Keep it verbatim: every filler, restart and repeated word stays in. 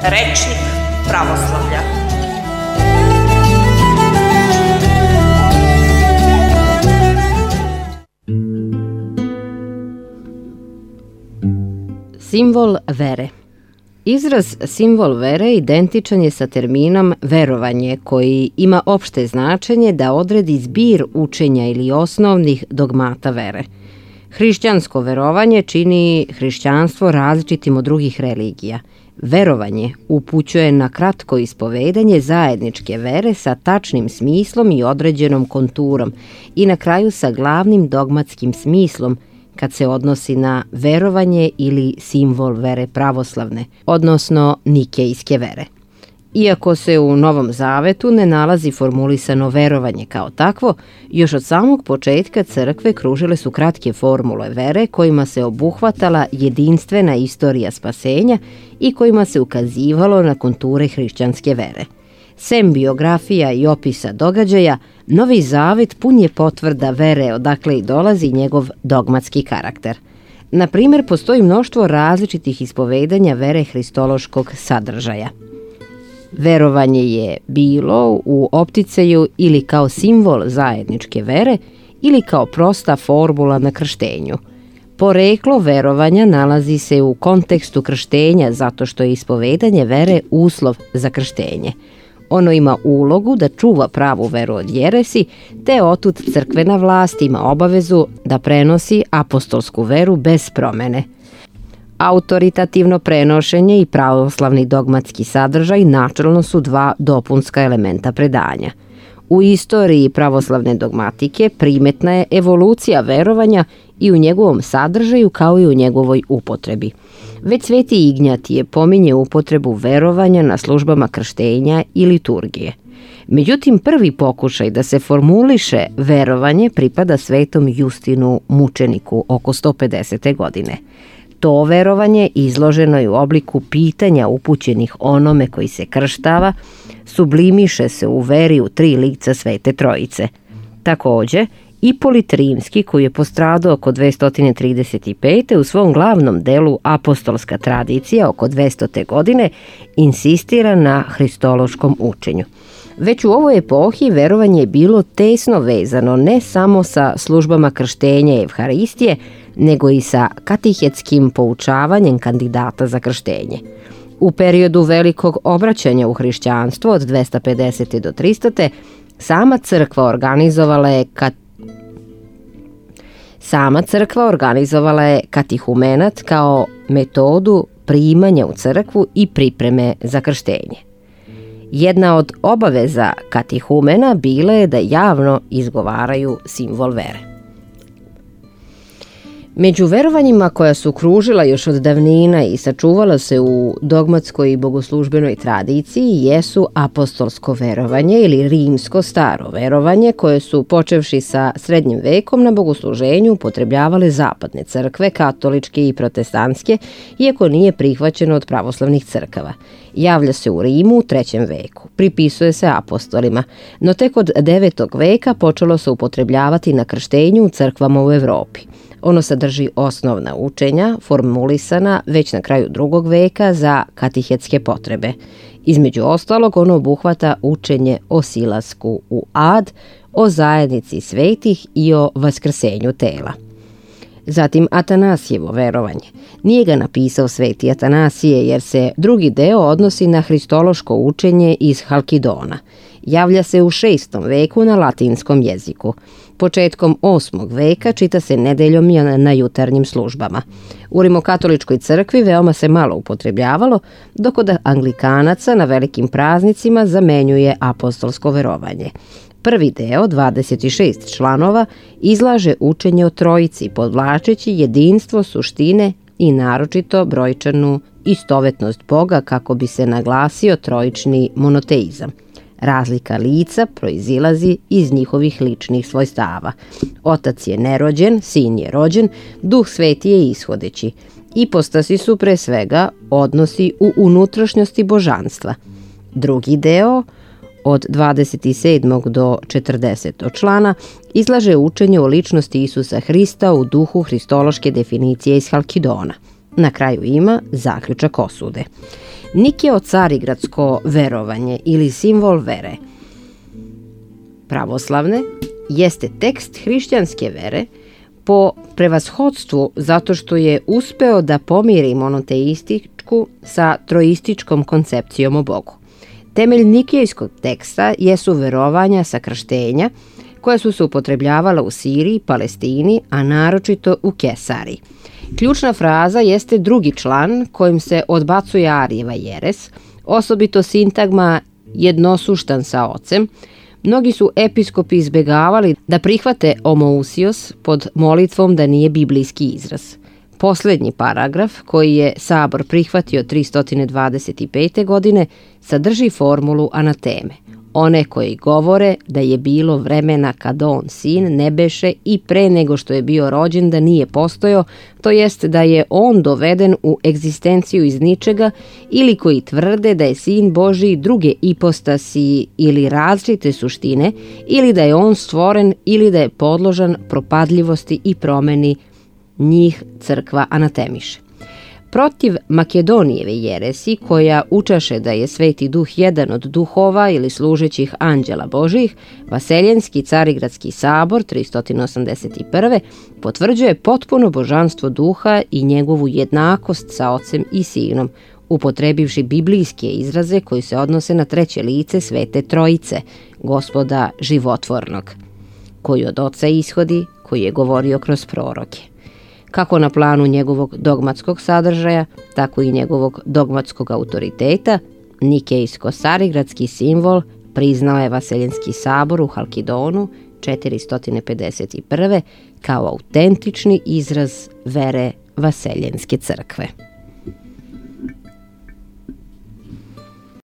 Rečnik pravoslavlja. Simbol vere. Izraz simbol vere identičan je sa terminom verovanje, koji ima opšte značenje da odredi zbir učenja ili osnovnih dogmata vere. Hrišćansko verovanje čini hrišćanstvo različitim od drugih religija. Verovanje upućuje na kratko ispovedanje zajedničke vere sa tačnim smislom i određenom konturom i na kraju sa glavnim dogmatskim smislom kad se odnosi na verovanje ili simbol vere pravoslavne, odnosno nikejske vere. Iako se u Novom Zavetu ne nalazi formulisano verovanje kao takvo, još od samog početka crkve kružile su kratke formule vere kojima se obuhvatala jedinstvena istorija spasenja i kojima se ukazivalo na konture hrišćanske vere. Sem biografija i opisa događaja, Novi Zavet pun je potvrda vere odakle i dolazi njegov dogmatski karakter. Na primjer, postoji mnoštvo različitih ispovedanja vere hristološkog sadržaja. Verovanje je bilo u opticaju ili kao simbol zajedničke vere ili kao prosta formula na krštenju. Poreklo verovanja nalazi se u kontekstu krštenja zato što je ispovedanje vere uslov za krštenje. Ono ima ulogu da čuva pravu veru od jeresi, te otud crkvena vlast ima obavezu da prenosi apostolsku veru bez promene. Autoritativno prenošenje i pravoslavni dogmatski sadržaj načelno su dva dopunska elementa predanja. U istoriji pravoslavne dogmatike primetna je evolucija verovanja i u njegovom sadržaju kao i u njegovoj upotrebi. Već Sveti Ignjatije pominje upotrebu verovanja na službama krštenja i liturgije. Međutim, prvi pokušaj da se formuliše verovanje pripada Svetom Justinu Mučeniku oko sto pedesete godine. To verovanje izloženo je u obliku pitanja upućenih onome koji se krštava, sublimiše se u veri u tri lica Svete Trojice. Takođe, Ipolit Rimski, koji je postradao oko dvesta trideset pete. u svom glavnom delu Apostolska tradicija oko dvestote godine, insistira na hristološkom učenju. Već u ovoj epohi verovanje je bilo tesno vezano ne samo sa službama krštenja i evharistije, nego i sa katihetskim poučavanjem kandidata za krštenje. U periodu velikog obraćanja u hrišćanstvo od dvesta pedesete do tristote. sama crkva organizovala je kat... sama crkva organizovala je katihumenat kao metodu primanja u crkvu i pripreme za krštenje. Jedna od obaveza katihumena bila je da javno izgovaraju simbol vere. Među verovanjima koja su kružila još od davnina i sačuvala se u dogmatskoj i bogoslužbenoj tradiciji jesu apostolsko verovanje ili rimsko staro verovanje, koje su, počevši sa srednjim vekom, na bogosluženju upotrebljavale zapadne crkve, katoličke i protestantske, iako nije prihvaćeno od pravoslavnih crkava. Javlja se u Rimu u trećem veku, pripisuje se apostolima, no tek od devetog veka počelo se upotrebljavati na krštenju u crkvama u Evropi. Ono sadrži osnovna učenja, formulisana već na kraju drugog veka za katihetske potrebe. Između ostalog, ono obuhvata učenje o silasku u ad, o zajednici svetih i o vaskrsenju tela. Zatim Atanasijevo verovanje. Nije ga napisao sveti Atanasije jer se drugi deo odnosi na hristološko učenje iz Halkidona. Javlja se u šestom veku na latinskom jeziku. Početkom osmog veka čita se nedeljom na jutarnjim službama. U rimokatoličkoj crkvi veoma se malo upotrebljavalo, dok od anglikanaca na velikim praznicima zamenjuje apostolsko verovanje. Prvi deo, dvadeset šest članova, izlaže učenje o Trojici, podvlačeći jedinstvo suštine i naročito brojčanu istovetnost Boga kako bi se naglasio trojični monoteizam. Razlika lica proizilazi iz njihovih ličnih svojstava. Otac je nerođen, sin je rođen, Duh Sveti je ishodeći. Ipostasi su pre svega odnosi u unutrašnjosti božanstva. Drugi deo, od dvadeset sedmog do četrdesetog člana, izlaže učenje o ličnosti Isusa Hrista u duhu hristološke definicije iz Halkidona. Na kraju ima zaključak osude. Nikeo carigradsko verovanje ili simbol vere pravoslavne jeste tekst hrišćanske vere po prevashodstvu zato što je uspeo da pomiri monoteističku sa troističkom koncepcijom o Bogu. Temelj nikejskog teksta jesu verovanja sa krštenja koja su se upotrebljavala u Siriji, Palestini, a naročito u Kesariji. Ključna fraza jeste drugi član kojim se odbacuje Arijeva jeres, osobito sintagma jednosuštan sa ocem. Mnogi su episkopi izbegavali da prihvate homoousios pod molitvom da nije biblijski izraz. Poslednji paragraf, koji je Sabor prihvatio tristo dvadeset pete. godine, sadrži formulu anateme. One koji govore da je bilo vremena kad on, sin, ne beše i pre nego što je bio rođen da nije postojao, to jest da je on doveden u egzistenciju iz ničega, ili koji tvrde da je sin Božiji druge ipostasi ili različite suštine, ili da je on stvoren ili da je podložan propadljivosti i promeni, njih crkva anatemiše. Protiv Makedonijeve jeresi, koja učaše da je Sveti Duh jedan od duhova ili služećih anđela Božijih, Vaseljenski carigradski sabor tristo osamdeset prve. potvrđuje potpuno božanstvo duha i njegovu jednakost sa ocem i sinom, upotrebivši biblijske izraze koji se odnose na treće lice Svete Trojice, Gospoda životvornog, koji od oca ishodi, koji je govorio kroz proroke. Kako na planu njegovog dogmatskog sadržaja, tako i njegovog dogmatskog autoriteta, nikejsko-carigradski simbol priznao je Vaseljenski sabor u Halkidonu četiristo pedeset prve. kao autentični izraz vere Vaseljenske crkve.